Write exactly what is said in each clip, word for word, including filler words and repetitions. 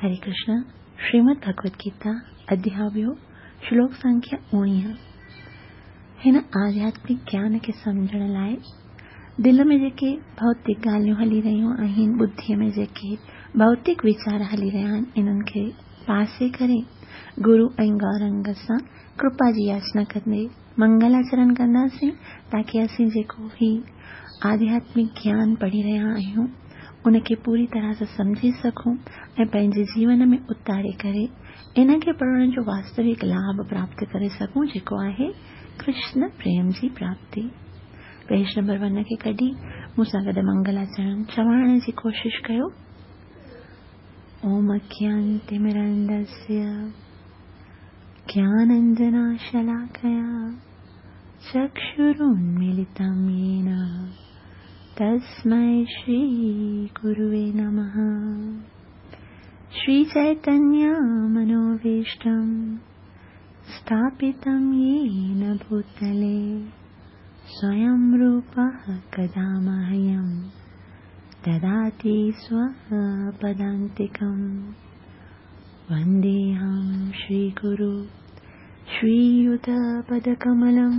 हरे कृष्ण। श्रीमद् भगवत गीता अध्याय ॿियो, श्लोक संख्या उणिवीह। हिन आध्यात्मिक ज्ञान खे सम्झण लाइ दिलि में जेके भौतिक ॻाल्हियूं हली रहियूं आहिनि, बुद्धीअ में जेके भौतिक वीचार हली रहिया आहिनि, इन्हनि खे पासे करे गुरू ऐं गौरंग सां कृपा जी याचना कंदे मंगलाचरण कंदासीं, ताकी असीं जेको ही आध्यात्मिक ज्ञान पढ़ी रहिया आहियूं उनखे पूरी तरह सां सम्झी सघूं ऐं पंहिंजे जीवन में उतारे करे इन खे पढ़ण जो वास्तविक लाभ प्राप्त करे सघूं, जेको आहे कृष्ण प्रेम जी प्राप्ति। पेज नंबर वन खे कढी मूंसां गॾु मंगलाचरण चवण जी कोशिश कयो। ओम अज्ञानतिमिरन्धस्य ज्ञानाञ्जनशलाकया चक्षुरुन्मीलितं येन तस्मै श्री गुरुवे नमः। श्री चैतन्य मनोभीष्टं स्थापितं येन भूतले स्वयं रूपः कदा मह्यं ददाति स्वपदान्तिकं। वन्देऽहं श्रीगुरु श्रीयुतपदकमलं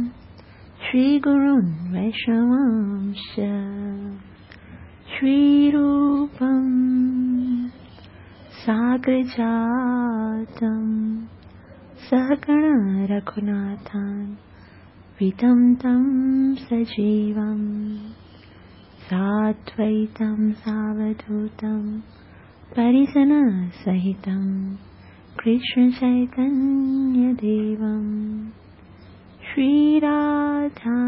श्रीगुरुन् वैष्णवांश्च। श्रीरूपं साग्रजातं सहगण रघुनाथान् वितं तं सजीवं साद्वैतं सावधूतं परिजनसहितं कृष्णचैतन्यदेवं। श्रीराधा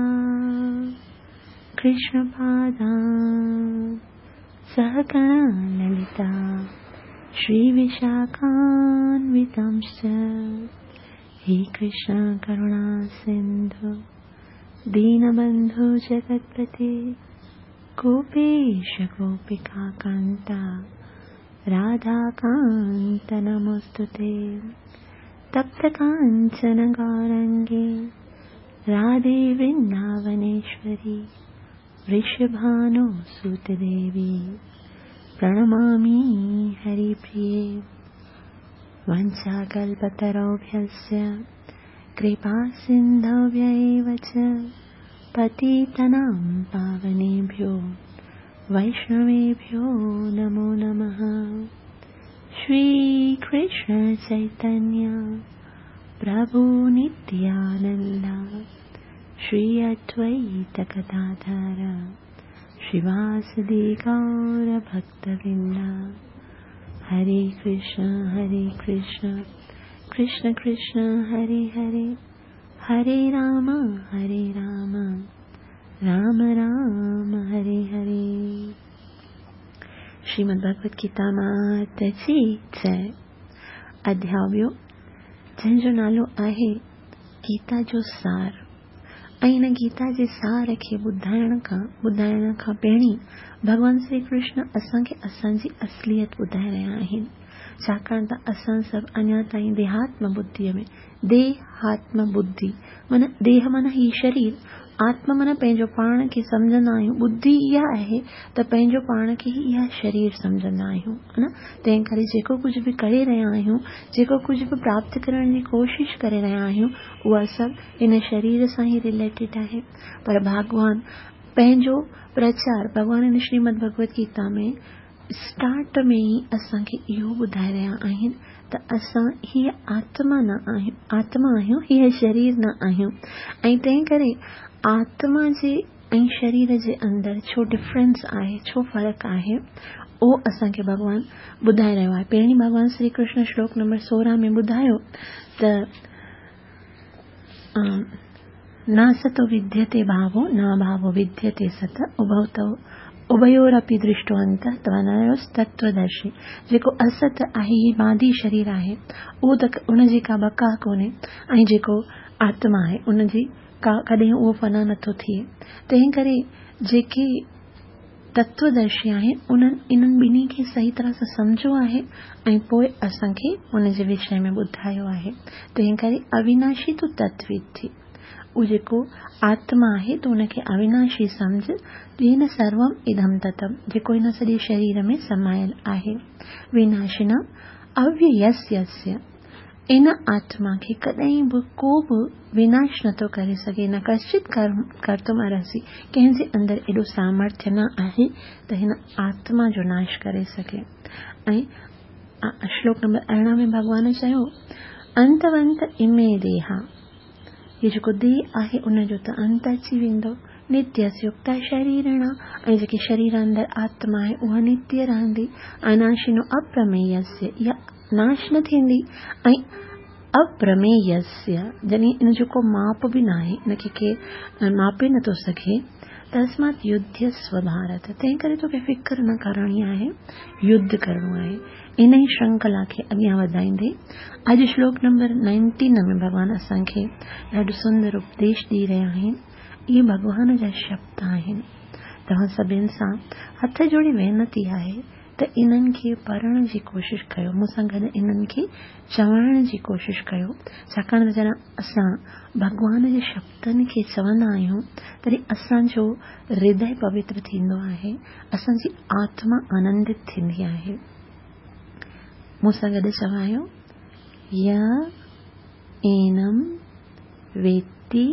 कृष्णपादान् सहगण ललिता श्रीविशाखान्वितांश्च। हे कृष्ण करुणा सिन्धु दीनबन्धु जगत्पते गोपेश गोपिकान्ता राधाकान्त नमोऽस्तुते। तप्त काञ्चन गौरङ्गे राधे वृन्दावनेश्वरी वृषभानुसुतदेवी प्रणमामि हरिप्रिये। वञ्चाकल्पतरुभ्यश्च कृपासिन्धुभ्य एव च पतितानां पावनेभ्यो वैष्णवेभ्यो नमो नमः। श्रीकृष्ण चैतन्य प्रभु नित्यानन्द श्री अद्वैत गदाधर श्रीवासदि गौरभक्तवृन्द। हरे कृष्ण हरे कृष्ण कृष्ण कृष्ण हरे हरे, हरे राम हरे राम राम राम हरे हरे। श्रीमद् भगवत गीता मात जी जय। अध्याय ॿियो, जंहिंजो नालो आहे गीता जो सार। ऐं हिन गीता जे सार खे ॿुधाइण खां ॿुधाइण खां पहिरीं भॻवान श्री कृष्ण असांखे असांजी असलियत ॿुधाए रहिया आहिनि, छाकाणि त असां सभु अञा ताईं देहात्म बुद्धीअ में, देहात्म बुद्धि माना देह माना हीउ शरीर, आत्म माना पंहिंजो पाण खे सम्झंदा आहियूं, बुद्धि इहा आहे त पंहिंजो पाण खे इहा शरीर सम्झंदा आहियूं, हा न। तंहिं करे जेको कुझु बि करे रहिया आहियूं, जेको कुझु बि प्राप्त करण जी कोशिश करे रहिया आहियूं, उहा सभु हिन शरीर सां ई रिलेटेड आहे। पर भॻवान पंहिंजो प्रचार, भॻवान हिन श्रीमद् भगवत गीता में स्टार्ट में ई असांखे इहो ॿुधाए रहिया आहिनि त असां हीअ आत्मा न आहियूं, आत्मा आहियूं, हीअ शरीर न आहियूं। ऐं तंहिं करे आत्मा जे ऐं शरीर जे अंदरि छो डिफरेंस आहे, छो फ़र्क़ु आहे, उहो असांखे भॻवान ॿुधाए रहियो आहे। पहिरीं भॻवान श्री कृष्ण श्लोक नंबर सोरहं में ॿुधायो त न सतो विद्यते भावो न भावो विद्यते सत उभौ तौ उभयोरपि दृष्टो अंतः त्वनयोस्तत्त्वदर्शी। जेको असत आहे, हीअ मादी शरीर आहे, उहो त उनजी का बका कोन्हे, ऐं जेको आत्मा आहे उनजी का कॾहिं उहो फना नथो थिए। तंहिं करे जेके तत्वदर्शी आहिनि उन्हनि इन्हनि ॿिन्ही खे सही तरह सां सम्झो आहे ऐं पोइ असांखे उनजे विषय में ॿुधायो आहे। तंहिं करे अविनाशी तूं तत्विद थी, उहो जेको आत्मा आहे तूं उनखे अविनाशी सम्झ, येन सर्वम इदम ततम, जेको हिन सॼे शरीर में समायल आहे। विनाशिनम अव्ययस्य, इन आत्मा खे कॾहिं बि को बि विनाश नथो करे सघे, न कश्चित कर्तुम अर्हसि, कंहिंजे अंदरि एॾो सामर्थ्य न आहे त हिन आत्मा जो नाश करे सघे। ऐं श्लोक नंबर अरिड़हं में भॻवान चयो, अंतवंत इमे देहा, हीउ जेको देह आहे उनजो त अंत अची वेंदो, नित्यस्य युक्ता शरीरिणा, ऐं जेकी शरीर अंदरि आत्मा आहे उहा नित्य रहंदी, अनाशिनो अप्रमेयस्य, इहा नाश न थींदी, ऐं अप्रमेयस्य यानी इन जो को माप बि न आहे, इनखे केरु मापे नथो सघे। तस्मात् युध्यस्व भारत, तंहिं करे तोखे फ़िक्र न करणी आहे, युद्ध करिणो आहे। इन ई श्रृंखला खे अॻियां वधाईंदे अॼु श्लोक नंबर नाइनटीन में भॻवान असांखे ॾाढो सुंदर उपदेश ॾेई रहिया आहिनि। इहे भॻवान जा शब्द आहिनि। तव्हां सभिनि सां हथ जोड़ी विनती आहे त इन्हनि खे पढ़ण जी कोशिशि कयो, मूंसां गॾु इन्हनि खे चवण जी कोशिशि कयो, छाकाणि त जॾहिं असां भॻवान जे शब्दनि खे चवंदा आहियूं तॾहिं असांजो हृदय पवित्र थींदो आहे, असांजी आत्मा आनंदित थींदी आहे। मूंसां गॾु चवायो, य एनम वेत्ति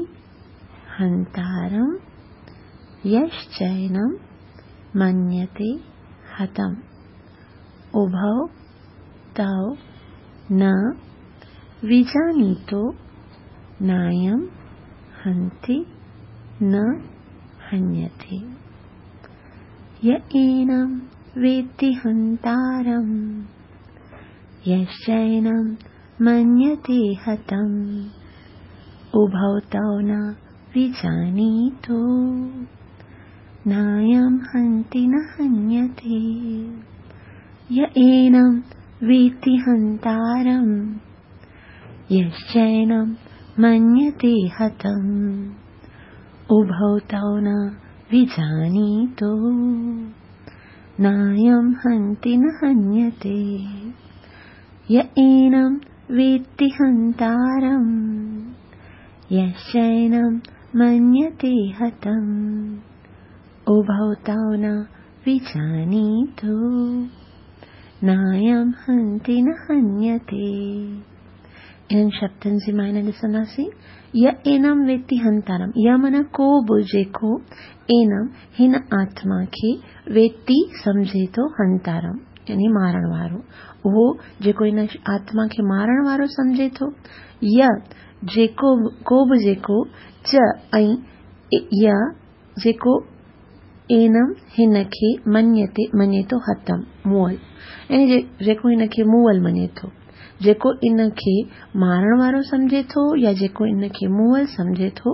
हन्तारं यश्चैनं मन्यते हतम्, उभौ तौ न विजानीतो नायं हन्ति न हन्यते। य एनं वेत्ति हन्तारं यश्चैनं मन्यते हतम्, उभौ तौ न विजानीतो नायं हन्ति न हन्यते। य एनं वेत्ति हन्तारं यश्चैनं मन्यते हतम्, उभौ तौ न विजानीतो नायं हन्ति न हन्यते। य एनं वेत्ति हन्तारं यश्चैनं मन्यते हतम्, उभौ तौ न विजानीतो नायं हन्ति न हन्यते। इन्हनि शब्दनि जी मायने ॾिसंदासीं, य एनं वेत्ति हन्तारं, य माना को बि जेको एनम हिन आत्मा खे वेत्ति सम्झे थो, हन्तारं यानी मारण वारो, उहो जेको हिन आत्मा खे मारण वारो सम्झे थो, य जेको को बि जेको च ऐं य जेको एनम हिन खे मन्यते मञे थो हतम मुअल, यानी जेको हिन खे मुअल मञे थो, जेको इन खे मारण वारो सम्झे थो या जेको इन खे मुअल सम्झे थो,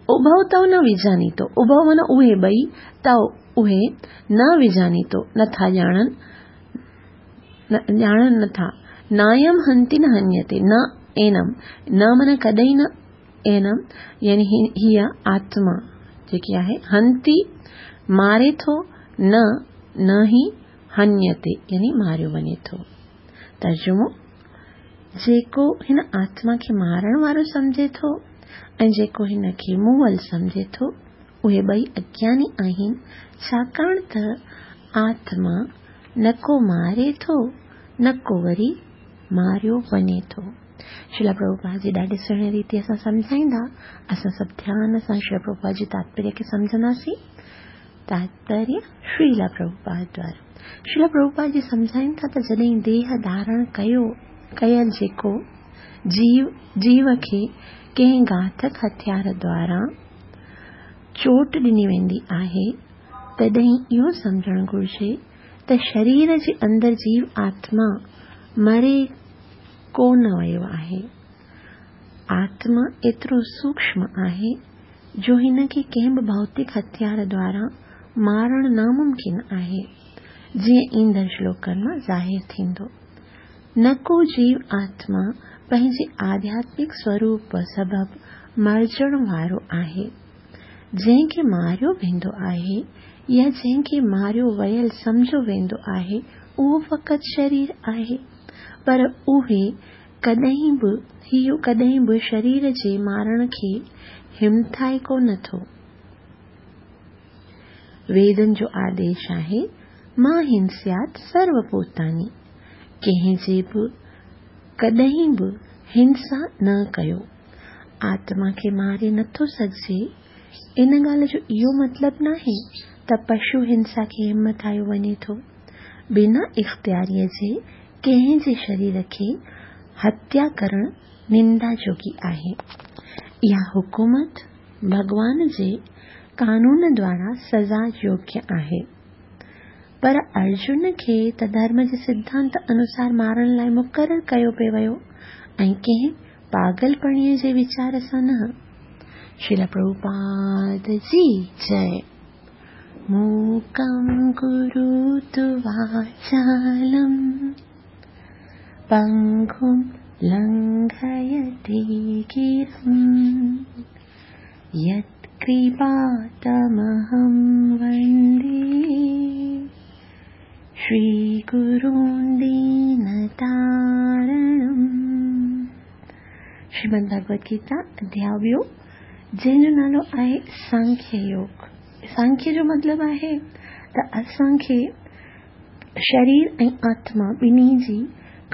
उभौ तौ न विजानीतो, उभौ माना उहे ॿई, तौ उहे न विजानीतो नथा ॼाणनि, ॼाणनि नथा, नायम हन्ति न हन्यते, न एनम, न माना कॾहिं न, एनम यानी हीअ आत्मा जेकी आहे, हन्ति मारे थो, न न ई हन्यते यानी मारियो वञे थो। तर्जुमो, जेको हिन आत्मा खे मारण वारो सम्झे थो ऐं जेको हिन खे मुअल सम्झे थो, उहे ॿई अज्ञानी आहिनि, छाकाणि त आत्मा न को मारे थो न को वरी मारियो वञे थो। श्रील प्रभुपाद जी ॾाढे सुहिणे रीति सां सम्झाईंदा, असां सभु ध्यान सां श्रील प्रभुपाद जी तात्पर्य खे सम्झंदासीं। तात्पर्य श्रील प्रभुपाद द्वारा श्रील प्रभुपाद जी सम्झाइनि था त जॾहिं देह धारण कयो कयल जेको जीव जीव खे कंहिं घातक हथियार द्वारा चोट ॾिनी वेंदी आहे, तॾहिं इहो सम्झणु घुर्जे त शरीर जे अंदरि जीव आत्मा मरे कोन वियो आहे। आत्मा एतिरो सूक्ष्म आहे जो हिन खे कंहिं बि भौतिक हथियार द्वारा मारण नामुमकिन आहे, जीअं ईंदड़ श्लोकनि मां ज़ाहिर थींदो। न को जीव आत्मा पंहिंजे आध्यात्मिक स्वरूप सबबु मरिजण वारो आहे। जंहिंखे मारियो वेंदो आहे या जंहिंखे मारियो वियल सम्झो वेंदो आहे, उहो फ़क़ति शरीर आहे, पर उहे कॾहिं बि इहो कॾहिं बि शरीर जे मारण खे हिमथाए कोन थो। वेदनि जो आदेश आहे, मां हिंस्यात् सर्वभूतानि, ڪنهن جي به ڪڏهن به هنسا نه ڪيو. آتما کي ماري نٿو سگهجي. ان ڳالهه جو اهو مطلب ناهي ته پشو هنسا کي همٿايو وڃي ٿو. بنا اختياريء جي ڪنهن جي شرير کي هتيا ڪرڻ نندا جوڳي آهي. اها حڪومت ڀڳوان جي قانون دوارا سزا يوگيه آهي. پر ارجن کي ته ڌرم جي سڌانت انوسار مارڻ لاء مقرر ڪيو پئي ويو ۽ ڪنهن پاڳلپڻي جي ويچار سان نه. شريل پرڀوپاد جي جئي. موڪم ڪروتु واچالم پنگم لنگهيتي گرم يتڪرپا تمهم وندي شري گرون دينتارڻم. شريمد ڀڳوت گيتا اڌياء ٻيو، جنهن جو نالو آهي سانکيه يوگ. سانکيه جو مطلب آهي ته اسان کي شرير ۽ آتما ٻنهي جي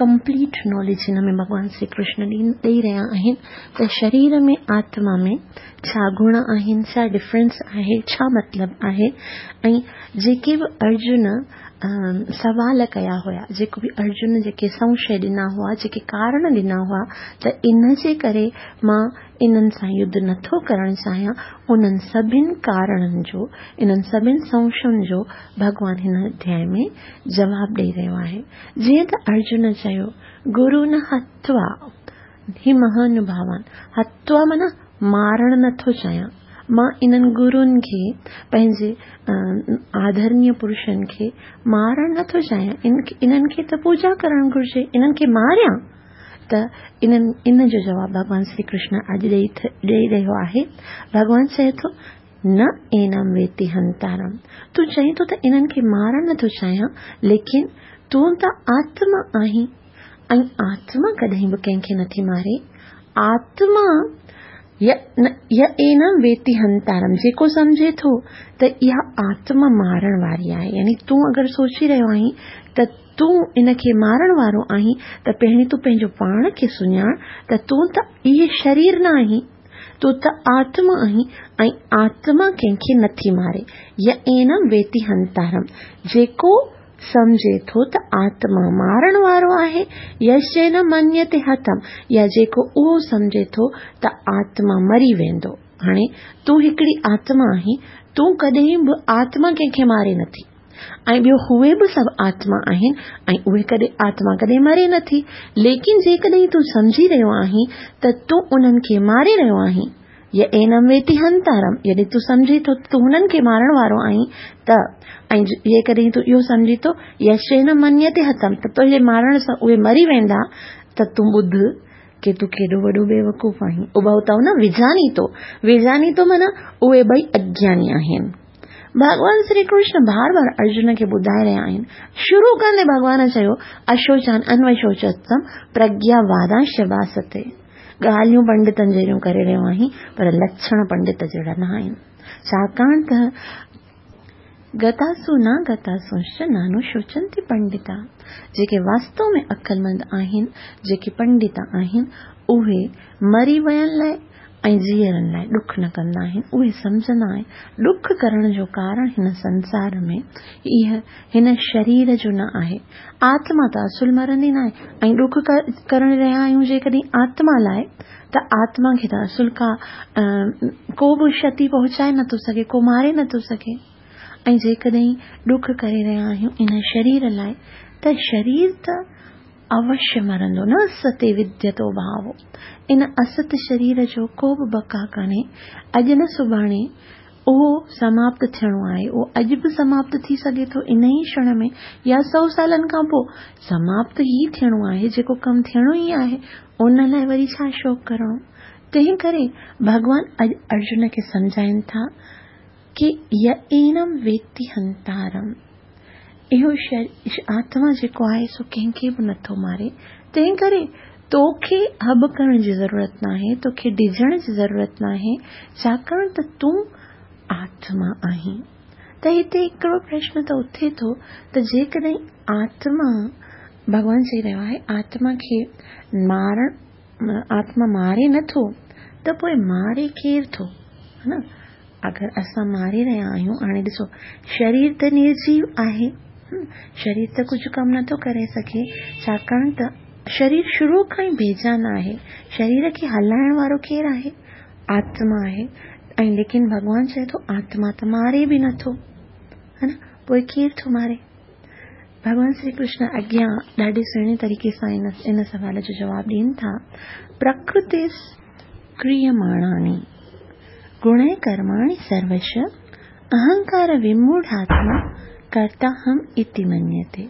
ڪمپليٽ ناليج هن ۾ ڀڳوان شري ڪرشن ڏيئي رهيا آهن ته شرير ۾ آتما ۾ ڇا گڻ آهن، ڇا ڊفرنس آهي، ڇا مطلب آهي. ۽ جيڪي به ارجن سوال ڪيا هيا، جيڪو به ارجن جيڪي سنشي ڏنا هئا، جيڪي ڪارڻ ڏنا هئا ته ان جي ڪري مان انهن سان يڌ نٿو ڪرڻ چاهيان، انهن سڀني ڪارڻن جو، انهن سڀني سنشين جو ڀڳوان هن اڌياء ۾ جواب ڏيئي رهيو آهي. جيئن ته ارجن چيو، گرو نه هتوا هي مهانڀاوان، هتوا معنيٰ مارڻ نٿو چاهيان، مان انهن گرن کي، پنهنجي آدرڻيه پرشن کي مارڻ نٿو چاهيان، انهن کي ته پوڄا ڪرڻ گهرجي، انهن کي ماريان ته انهن ان جو جواب ڀڳوان شري ڪرشن اڄ ڏيئي ڏيئي رهيو آهي. ڀڳوان چئي ٿو، نه اينم ويتي هنتارم، تون چئين ٿو ته انهن کي مارڻ نٿو چاهيان، ليڪن تون ته آتما آهين ۽ آتما ڪڏهن به ڪنهن کي نٿي ماري. آتما ي اينم ويتي هنتارم، جيڪو سمجهي ٿو ته اها آتما مارڻ واري آهي، يعني تون اگر سوچي رهيو آهين ته تون ان کي مارڻ وارو آهين ته پهرين تون پنهنجو پاڻ کي سڃاڻ ته تون ته اهي شرير نه آهين، تون ته آتما آهين ۽ آتما ڪنهن کي نٿي ماري. ي اينم ويتي هنتارم، جيڪو سمجهي ٿو ته آتما مارڻ وارو آهي، يشينم منيتي هتم، يا جيڪو اهو سمجهي ٿو ته آتما مري ويندو. هاڻي تون هڪڙي آتما آهين، تون ڪڏهن به آتما ڪنهن کي ماري نٿي، ۽ ٻيو اهي به سڀ آتما آهن ۽ اهي ڪڏهن آتما ڪڏهن مري نٿي، ليڪن جيڪڏهن تون سمجهي رهيو آهين ته تون انهن کي ماري رهيو آهين، ي اينم ويتي هنتارم، جڏهن تون سمجهين ٿو ته تون هنن کي مارڻ وارو آهين ته، ۽ جيڪڏهن تون اهو سمجهين ٿو يشينم منيتي هتم ته تنهنجي مارڻ سان اهي مري ويندا، ته تون ٻڌ ڪي تون ڪيڏو وڏو بيوقوف آهين. اڀو تئو نه وجاني تو، وجاني تو معنيٰ اهي ٻئي اگياني آهن. ڀڳوان شري ڪرشن بار بار ارجن کي ٻڌائي رهيا آهن. شروع ڪندي ڀڳوان چيو، اشوچان انوشوچتم پرگياوادانش ڀاستي. ڳالهيون پنڊتن جهڙيون ڪري رهيو آهين، پر لڇڻ پنڊت جهڙا نه آهن. ڇاڪاڻ ته گتاسو نه گتاسونش نانو شوچنتي پنڊتا، جيڪي واستو ۾ عقلمند آهن، جيڪي پنڊت آهن، اهي مري ويل لاءِ ۽ جيئرن لاءِ ڏک نه ڪندا آهن. اهي سمجهندا آهن ڏک ڪرڻ جو ڪارڻ هن سنسار ۾ اها هن شرير جو نه آهي. آتما ته اصل مرندي نه آهي ۽ ڏک ڪرڻ رهيا آهيون جيڪڏهن آتما لاءِ ته آتما کي ته اصل ڪا ڪو به ڪشتي پهچائي نٿو سگهي، ڪو ماري نٿو سگهي. ۽ جيڪڏهن ڏک ڪري رهيا آهيون ان شرير لاءِ ته شرير ته اوشيه مرندو، نه ستي وديتو ڀاو. ان است شرير جو ڪو به بقا ڪانهي، اڄ نه سڀاڻي اهو سماپت ٿيڻو آهي. اهو اڄ به سماپت ٿي سگهي ٿو ان ئي ڪشڻ ۾ يا سؤ سالن کان پوءِ سماپت ئي ٿيڻو آهي. جيڪو ڪم ٿيڻو ئي آهي ان لاءِ وري ڇا شوڪ ڪرڻو. تنهن ڪري ڀڳوان اڄ ارجن کي سمجهائين ٿا ڪي ي اينم ويتي هنتارم، اهو آتما جيڪو آهي سو ڪنهن کي به نٿو ماري. تنهن ڪري توکي هب ڪرڻ جي ضرورت ناهي، توکي ڊڄڻ جي ضرورت ناهي، ڇاڪاڻ ته تون آتما آهين. ته هتي هڪڙو پرشن ته اٿي ٿو ته جيڪڏهن آتما भॻवान चई रहियो आहे आत्मा खे मारण, आत्मा मारे नथो त पोइ मारे केरु थो, हा न? अगरि असां मारे रहिया आहियूं, हाणे ॾिसो शरीर त निर्जीव आहे, शरीर त कुझु कमु नथो करे सघे, छाकाणि त शरीर शुरू खां ई बेजान आहे। शरीर खे हलाइण वारो केरु आहे? आत्मा आहे। ऐं लेकिन भॻवान चए थो आत्मा त मारे बि नथो, हा न? पोइ केरु थो मारे? भॻवान श्री कृष्ण अॻियां ॾाढे सुहिणे तरीक़े सां इन इन सवाल जो जवाबु ॾियनि था। प्रकृति क्रियमाणानि गुण कर्माणि सर्वश अहंकार विमूढ़ात्मा कर्ता हम इति मन्यते।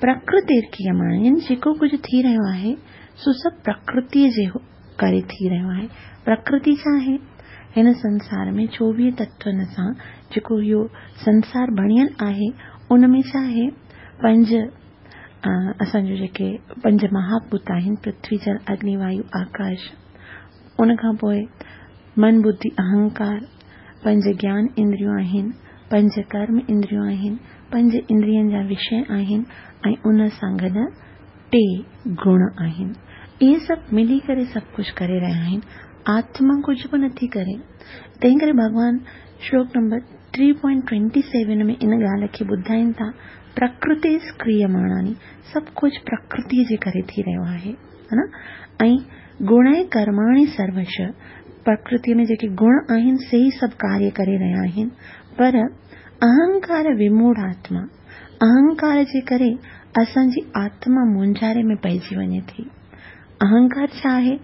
प्रकृति क्रियमाणानि यानी जेको कुझु थी रहियो आहे सो सभु प्रकृतीअ जे करे थी रहियो आहे। प्रकृति छा आहे? हिन संसार में चोवीह तत्वनि सां जेको इहो संसार बणियल आहे उन में छा आहे? पंज असांजो जेके पंज महाभूत आहिनि, पृथ्वी, जल, अग्नि, वायु, आकाश। उन खां पोइ मन, बुद्धि, अहंकार, पंज ज्ञान इंद्रियूं आहिनि, पंज कर्म इंद्रियूं आहिनि, पंज इंद्रियनि जा विषय आहिनि ऐं उन सां गॾु टे गुण आहिनि। इहे सभु मिली करे सभु कुझु करे रहिया आहिनि, आत्मा कुझु बि नथी करे। तंहिं करे भॻवान श्लोक number three point twenty seven में इन ॻाल्हि खे ॿुधाइनि था, प्रकृति क्रियमाणानि, सभु कुझु प्रकृतीअ जे करे थी रहियो आहे, हा न? ऐं गुण कर्माणि सर्वश, प्रकृतीअ में जेके गुण आहिनि से ई सभु कार्य करे रहिया आहिनि। पर अहंकार विमूढ़ आत्मा, अहंकार जे करे असांजी आत्मा मुंझारे में पइजी वञे थी। अहंकार छा आहे?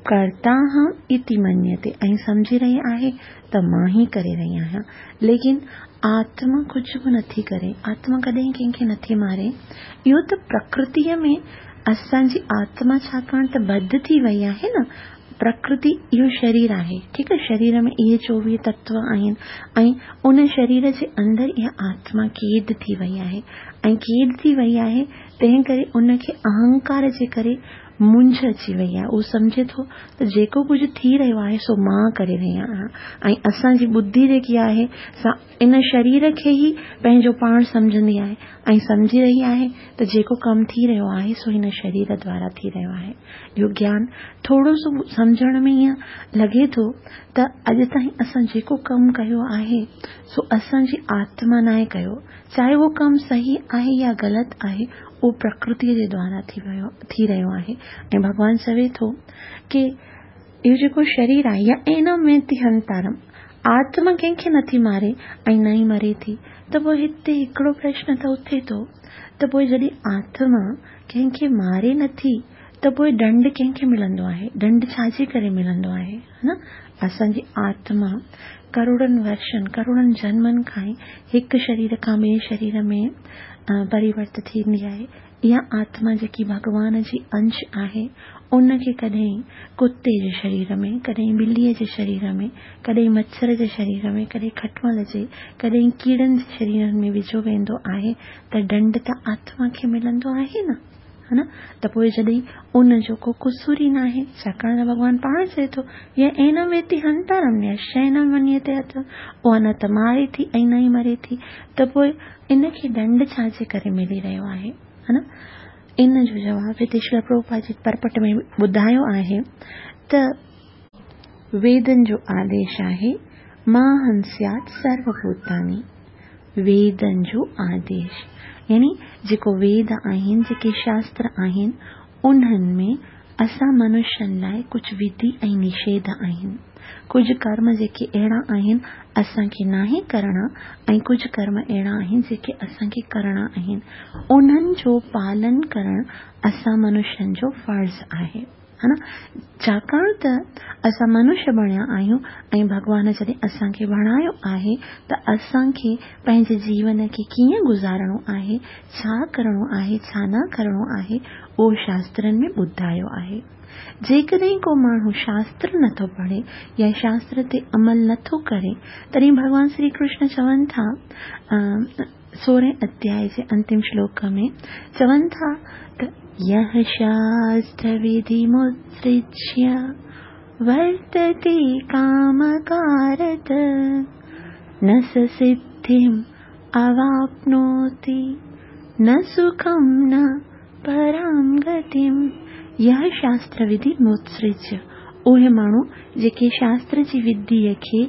कर्ता हम इति मन्यते, ऐं सम्झी रही आहे त मां ई करे रही आहियां, लेकिन आत्मा कुझु बि नथी करे, आत्मा कॾहिं कंहिंखे नथी मारे। इहो त प्रकृतीअ में असांजी आत्मा छाकाणि त बध थी वई आहे न, प्रकृति इहो शरीर आहे, ठीकु आहे, शरीर में इहे चोवीह तत्व आहिनि ऐं उन शरीर जे अंदरि इहा आत्मा क़ैद थी वई आहे ऐं क़ैद थी वई आहे, तंहिं करे उनखे अहंकार जे करे मुंझ अची वई आहे। उहो सम्झे थो त जेको कुझु थी रहियो आहे सो मां करे रही आहियां ऐं असांजी बुद्धि जेकी आहे सा इन शरीर खे ई पंहिंजो पाण सम्झंदी आहे ऐं सम्झी रही आहे त जेको कमु थी रहियो आहे सो हिन शरीर द्वारा थी रहियो आहे। इहो ज्ञान थोरो सो सम्झण में ईअं लॻे थो त अॼु ताईं असां जेको कमु कयो आहे सो असांजी आत्मा नाहे कयो, चाहे उहो कमु सही आहे या ग़लति आहे, उहो प्रकृतीअ जे द्वारा थी वियो थी रहियो आहे। ऐं भॻवान चवे थो की इहो जेको शरीर आहे या एनम वेति हंतारम, आत्मा कंहिंखे नथी मारे ऐं न ई मरे थी। त पोइ हिते हिकिड़ो प्रश्न त उथे थो त पोइ जॾहिं आत्मा कंहिंखे मारे नथी त पोइ ॾंड कंहिंखे मिलंदो आहे? ॾंड छाजे करे मिलंदो आहे? हा न, असांजी आत्मा करोड़नि वर्षनि, करोड़नि जन्मनि खां ई हिकु शरीर खां ॿिए शरीर में परिवर्त थींदी आहे। इहा आत्मा जेकी भॻवान जी अंश आहे उनखे कॾहिं कुते जे शरीर में, कॾहिं बिलीअ जे शरीर में, कॾहिं मच्छर जे शरीर में, कॾहिं खटमल जे, कॾहिं कीड़नि जे शरीरनि में विझो वेंदो आहे त ॾंड त आत्मा खे मिलंदो आहे न, हा न? त पोइ जॾहिं उन जो को कुसूर ई नाहे, छाकाणि त भॻवान पाण चए थो या एनम वेति हंतारम यशैनम मन्यते हथ, उहा न त मारे थी ऐं न ई मरे थी, त पोइ इनखे ॾंड छाजे करे मिली रहियो आहे, हा न? इन जो जवाबु हिते श्रील प्रभुपाद जी परपट में ॿुधायो आहे त वेदनि जो आदेश आहे मां हंस्यात् सर्वभूतानि, वेदनि जो आदेश यानी जेको वेद आहिनि, जेके शास्त्र आहिनि, उन्हनि में असां मनुष्यनि लाइ कुझु विधि ऐं निषेध आहिनि। कुझु कर्म जेके अहिड़ा आहिनि असांखे नाहे करणा ऐं कुझु कर्म अहिड़ा आहिनि जेके असांखे करणा आहिनि, उन्हनि जो पालन करणु असां मनुष्यनि जो फ़र्ज़ आहे, हा न? छाकाणि त असां मनुष्य बणिया आहियूं ऐं भॻवान जॾहिं असांखे बणायो आहे त असांखे पंहिंजे जीवन खे कीअं गुज़ारणो आहे, छा करणो आहे, छा न करणो आहे, उहो शास्त्रनि में ॿुधायो आहे। जेकॾहिं को माण्हू शास्त्र नथो पढ़े या शास्त्र ते अमल नथो करे, तॾहिं भॻवान श्री कृष्ण चवनि था सोरहें अध्याय जे अंतिम श्लोक में चवनि था त यः शास्त्र विधिमुत्सृज्य वर्तते कामकारत न स सिद्धिम् अवाप्नोति न सुखं न परां गतिम्। यः शास्त्र विधि मुत्सृज्य, उहे माण्हू जेके शास्त्र जी विधीअ खे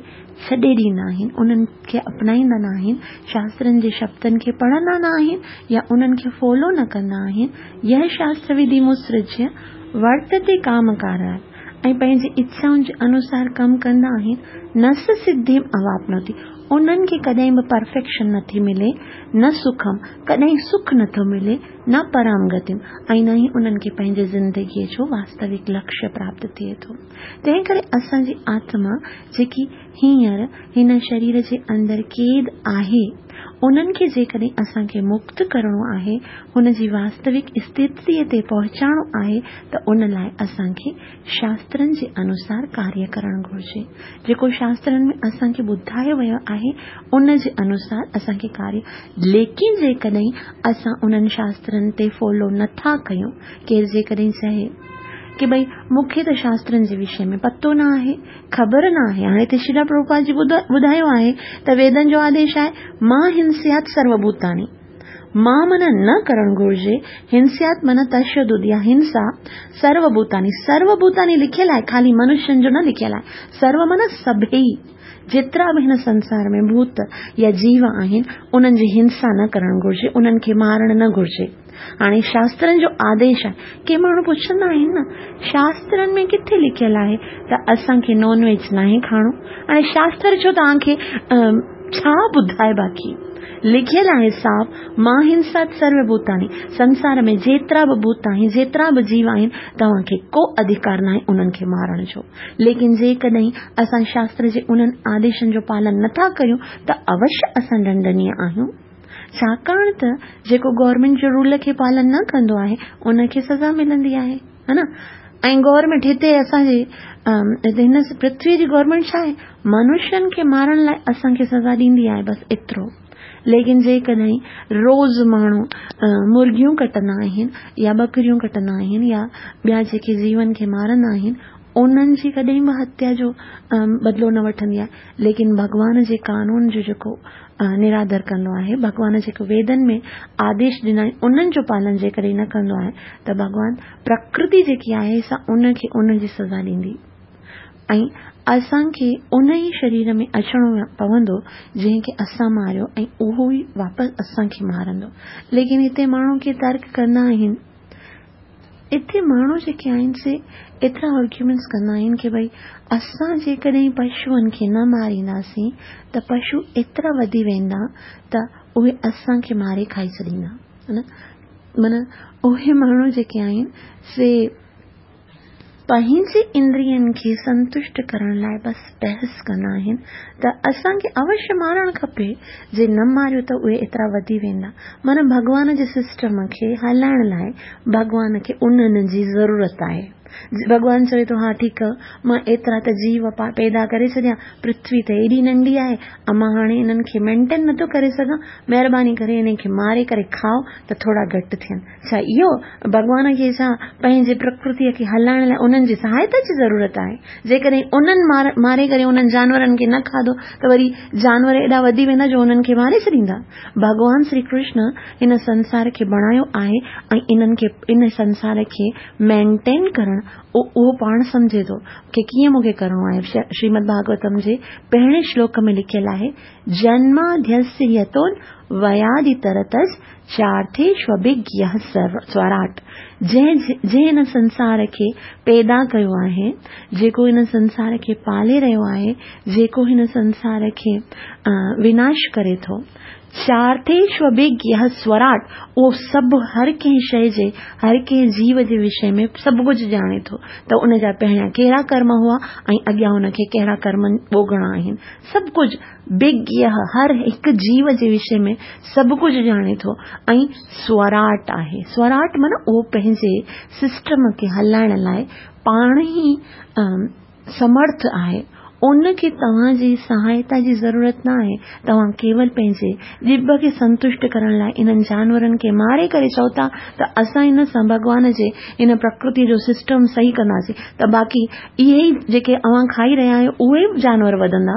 छॾे ॾींदा आहिनि, उन्हनि खे अपनाईंदा न आहिनि, शास्त्रनि जे शब्दनि खे पढ़ंदा न आहिनि या उन्हनि खे फॉलो न कंदा आहिनि। यह शास्त्र विधि मुत्सृज्य वर्तते कामकारात्, ऐं पंहिंजी इच्छाउनि जे अनुसार कमु कंदा आहिनि। न स सिद्धिम् अवाप्नोति, उन्हनि खे कॾहिं बि परफेक्शन नथी मिले, न सुखम, कॾहिं सुख नथो मिले, न पराम गतिम, ऐं न ई उन्हनि खे पंहिंजे ज़िंदगीअ जो वास्तविक लक्ष्य प्राप्त थिए थो। तंहिं करे असांजी आत्मा जेकी हींअर हिन शरीर जे अंदरि क़ैद आहे, उन्हनि खे जेकॾहिं असांखे मुक्त करिणो आहे, हुन जी वास्तविक स्थितीअ ते पहुचाइणो आहे, त उन लाइ असांखे शास्त्रनि जे अनुसार कार्य करणु घुर्जे। जेको शास्त्रनि में असांखे ॿुधायो वियो आहे उन जे अनुसार असांखे कार्य, लेकिन जेकॾहिं असां उन्हनि शास्त्रनि ते फॉलो नथा कयूं, केरु जेकॾहिं चए की भई मूंखे त शास्त्रनि जे विषय में पतो न आहे, ख़बर न आहे। हाणे हिते श्रील प्रभुपाद जी ॿुधायो आहे त वेदनि जो आदेश आहे मां हिंस्यात् सर्वभूतानि, मां माना न करणु घुर्जे, हिंस्यात् माना तशदुद या हिंसा, सर्वभूतानि, सर्वभूतानि लिखियलु आहे, ख़ाली मनुष्यनि जो न लिखियलु आहे। सर्व माना सभई, जेतिरा बि हिन संसार में भूत या जीव आहिनि उन्हनि जी हिंसा न करणु घुर्जे, उन्हनि खे मारणु न घुर्जे। हाणे शास्त्रनि जो आदेश आहे। के माण्हू पुछंदा आहिनि न, शास्त्रनि में किथे लिखियलु आहे त असांखे नॉन वेज नाहे खाइणो? हाणे शास्त्र छो तव्हांखे छा ॿुधाए? बाक़ी लिखियलु आहे साफ़, मां हिंसा सर्वभूतानि, संसार में जेतिरा बि भूत आहिनि, जेतिरा बि जीव आहिनि, तव्हांखे को अधिकार न आहे उन्हनि खे मारण जो। लेकिन जेकॾहिं असां शास्त्र जे उन्हनि आदेशनि जो पालन नथा कयूं त अवश्य असां दंडनीय आहियूं, छाकाणि त जेको गवर्नमेंट जो रूल खे पालन न कंदो आहे उनखे सज़ा मिलंदी आहे, हा न। ऐं गवर्नमेंट हिते असांजे हिन पृथ्वीअ जी गवर्नमेंट छा आहे, मनुष्यनि खे मारण लाइ असांखे सज़ा ॾींदी आहे, बसि एतिरो। लेकिन जेकॾहिं रोज़ माण्हू मुर्गियूं कटंदा आहिनि या बकरियूं कटंदा आहिनि या ॿिया जेके जीवन खे मारंदा आहिनि, उन्हनि जी कॾहिं बि हत्या जो बदिलो न वठंदी आहे। लेकिन भॻवान जे कानून जो जेको निरादर कंदो आहे, भॻवान जेको वेदनि में आदेश ॾिना आहिनि उन्हनि जो पालन जेकॾहिं न कंदो आहे त भॻवान प्रकृति जेकी आहे सा उनखे उन जी सज़ा ॾींदी। ऐं असांखे उन ई शरीर में अचिणो पवंदो जंहिंखे असां मारियो, ऐं उहो ई वापसि असांखे मारंदो। लेकिन हिते माण्हू खे तर्क कंदा आहिनि, हिते माण्हू जेके आहिनि से एतिरा आर्ग्यूमेंट्स कंदा आहिनि की भई असां जेकॾहिं पशुअनि खे न मारींदासीं त पशु एतिरा वधी वेंदा त उहे असांखे मारे खाई छॾींदा, हा न। माना उहे माण्हू जेके आहिनि से पंहिंजे इंद्रियनि खे संतुष्ट करण लाइ बसि बहस कंदा आहिनि त असांखे अवश्य मारणु खपे, जे न मारियो त उहे एतिरा वधी वेंदा। माना भॻवान जे सिस्टम खे हलाइण लाइ भॻवान खे उन्हनि जी ज़रूरत आहे। भॻवान चवे थो हा ठीकु आहे, मां एतिरा त जीव पैदा करे छॾिया, पृथ्वी त एॾी नंढी आहे, मां हाणे इन्हनि खे मेंटेन नथो करे सघां, महिरबानी करे इन्हनि खे मारे करे खाओ त थोरा घटि थियनि। छा इहो भॻवान खे छा पंहिंजे प्रकृतीअ खे हलाइण लाइ उन्हनि जी सहायता जी ज़रूरत आहे? जेकॾहिं उन्हनि मार, मारे करे उन्हनि जानवरनि खे न खाधो त वरी जानवर एॾा वधी वेंदा जो उन्हनि खे मारे छॾींदा। भॻवान श्री कृष्ण हिन संसार खे बणायो आहे ऐं इन्हनि खे इन संसार खे मेंटेन करणु उहो पाण सम्झे थो की कीअं मूंखे करिणो आहे। श्रीमद भागवतम जे पहिरें श्लोक में लिखियलु आहे, जन्माद्यस्य यतोन वयादितरतस् चार्थेष्वभिज्ञः स्वराट। जंहिं जंहिं हिन संसार खे पैदा कयो आहे, जेको हिन संसार खे पाले रहियो आहे, जेको हिन संसार खे विनाश करे थो, चार्थेष्वभिज्ञः स्वराट, उहो सभु हर कंहिं शइ जे हर कंहिं जीव जे विषय में सभु कुझु ॼाणे थो त उन जा पहिरियां कहिड़ा कर्म हुआ ऐं अॻियां हुनखे कहिड़ा कर्म भोगणा आहिनि, सभु कुझु विज्ञ हर हिकु जीव जे विषय में सभु कुझु ॼाणे थो ऐं स्वराट आहे। स्वराट माना उहो पंहिंजे सिस्टम खे हलाइण लाइ पाण ई समर्थ आहे, उनखे तव्हांजी सहायता जी ज़रूरत न आहे। तव्हां केवल पंहिंजे जिभ खे संतुष्ट करण लाइ इन्हनि जानवरनि खे मारे करे चओ था त असां इन सां भॻवान जे इन प्रकृति जो सिस्टम सही कंदासीं, त बाक़ी इहे ई जेके अव्हां खाई रहिया आहियो उहे बि जानवर वधंदा,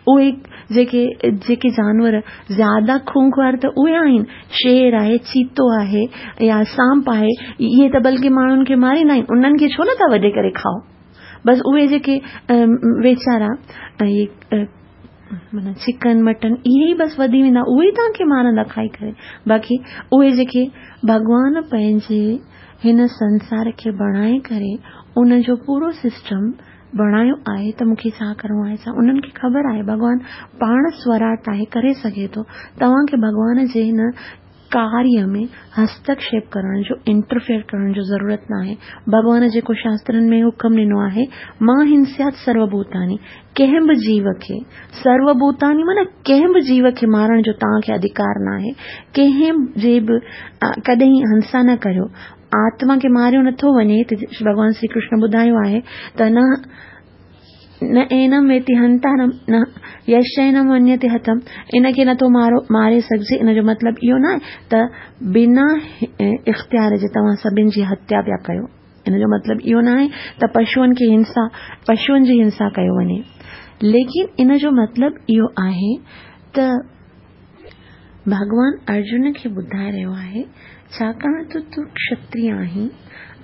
उहे جيڪي جيڪي جانور زياده خونخوار ته اهي آهن، شير آهي، چيتو آهي يا سانپ آهي، اهي ته بلڪه ماڻهن کي ماريندا آهن، انهن کي ڇو نٿا وڍي ڪري کائو؟ بس اهي جيڪي ويچارا اهي معنيٰ چڪن مٽن اهي ئي بس وڌي ويندا، اهي ئي توهان کي مارندا کائي ڪري. باقي اهي جيڪي ڀڳوان پنهنجي هن سنسار کي بڻائي ڪري ان جو پورو سسٽم بڻايو آهي ته مون کي ڇا ڪرڻو آهي، ڇا انهن کي خبر آهي. ڀڳوان پاڻ سوراٽ آهي، ڪري سگهي ٿو. توهان کي ڀڳوان جي هن ڪاريه ۾ هستڪشيپ ڪرڻ جو، انٽرفيئر ڪرڻ جو ضرورت ناهي. ڀڳوان جيڪو شاسترن ۾ حڪم ڏنو آهي، ما هنسيات سروڀوتاني، ڪنهن به جيو کي، سروڀوتاني معنيٰ ڪنهن به جيو کي مارڻ جو توهان کي اڌڪار ناهي. ڪنهن جي به ڪڏهن هنسا نه ڪريو. آتما کي ماريو نٿو وڃي. ڀڳوان شري ڪرشن ٻڌايو آهي ته نه نه اينم ويتي هنتارم نه يشينم ونيتي هتم، ان کي نٿو مارو ماري سگهجي. ان جو مطلب اهو نه آهي ته بنا اختيار جي توهان سڀن جي هتيا پيا ڪيو. ان جو مطلب اهو نه آهي ته پشوئن کي هنسا، پشوئن جي هنسا ڪيو وڃي. ليڪن ان جو مطلب اهو آهي ته ڀڳوان ارجن کي ٻڌائي رهيو آهي، ڇاڪاڻ ته تون ڪشتريه آهين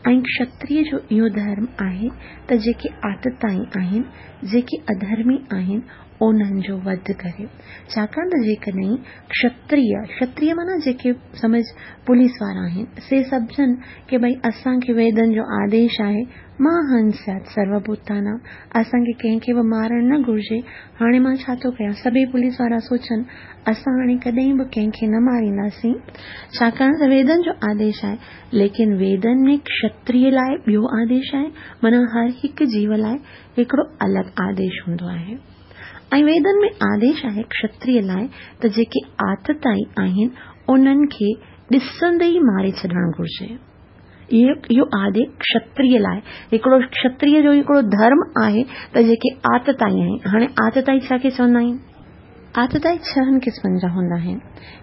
۽ ڪشتريه جو اهو ڌرم آهي ته جيڪي آتتائي آهن، جيڪي اڌرمي آهن، انهن جو وڌ ڪري. ڇاڪاڻ ته جيڪڏهن ڪشتريه، ڪشتريه معنيٰ جيڪي سمجهه پوليس وارا آهن، سي سمجهن ڪي ڀئي اسان کي ويدن جو آديش آهي، ما هنسيات سروڀوتانام، اسان کي ڪنهن کي به مارڻ نه گهرجي، هاڻي مان ڇا ٿو ڪيان؟ سڀئي پوليس وارا سوچن اسان هاڻي ڪڏهن به ڪنهن کي نه مارينداسين، ڇاڪاڻ ته ويدن جو آديش آهي. ليڪن ويدن ۾ ڪشتريه لاءِ ٻيو آديش آهي، معنيٰ هر هڪ جيو لاءِ هڪڙو الڳ آديش هوندو آهي. ۽ ويدن ۾ آديش آهي ڪشتريه لاءِ ته جيڪي آتتائي آهن انهن کي ڏسندي ئي ماري ڇڏڻ گهرجي. اهو آديش ڪشتريه لاءِ هڪڙو ڪشتريه جو هڪڙو ڌرم آهي ته جيڪي آتتائي آهن. هاڻي آتتائي ڇا کي چوندا آهن؟ آتتائي ڇهن قسمن جا هوندا آهن.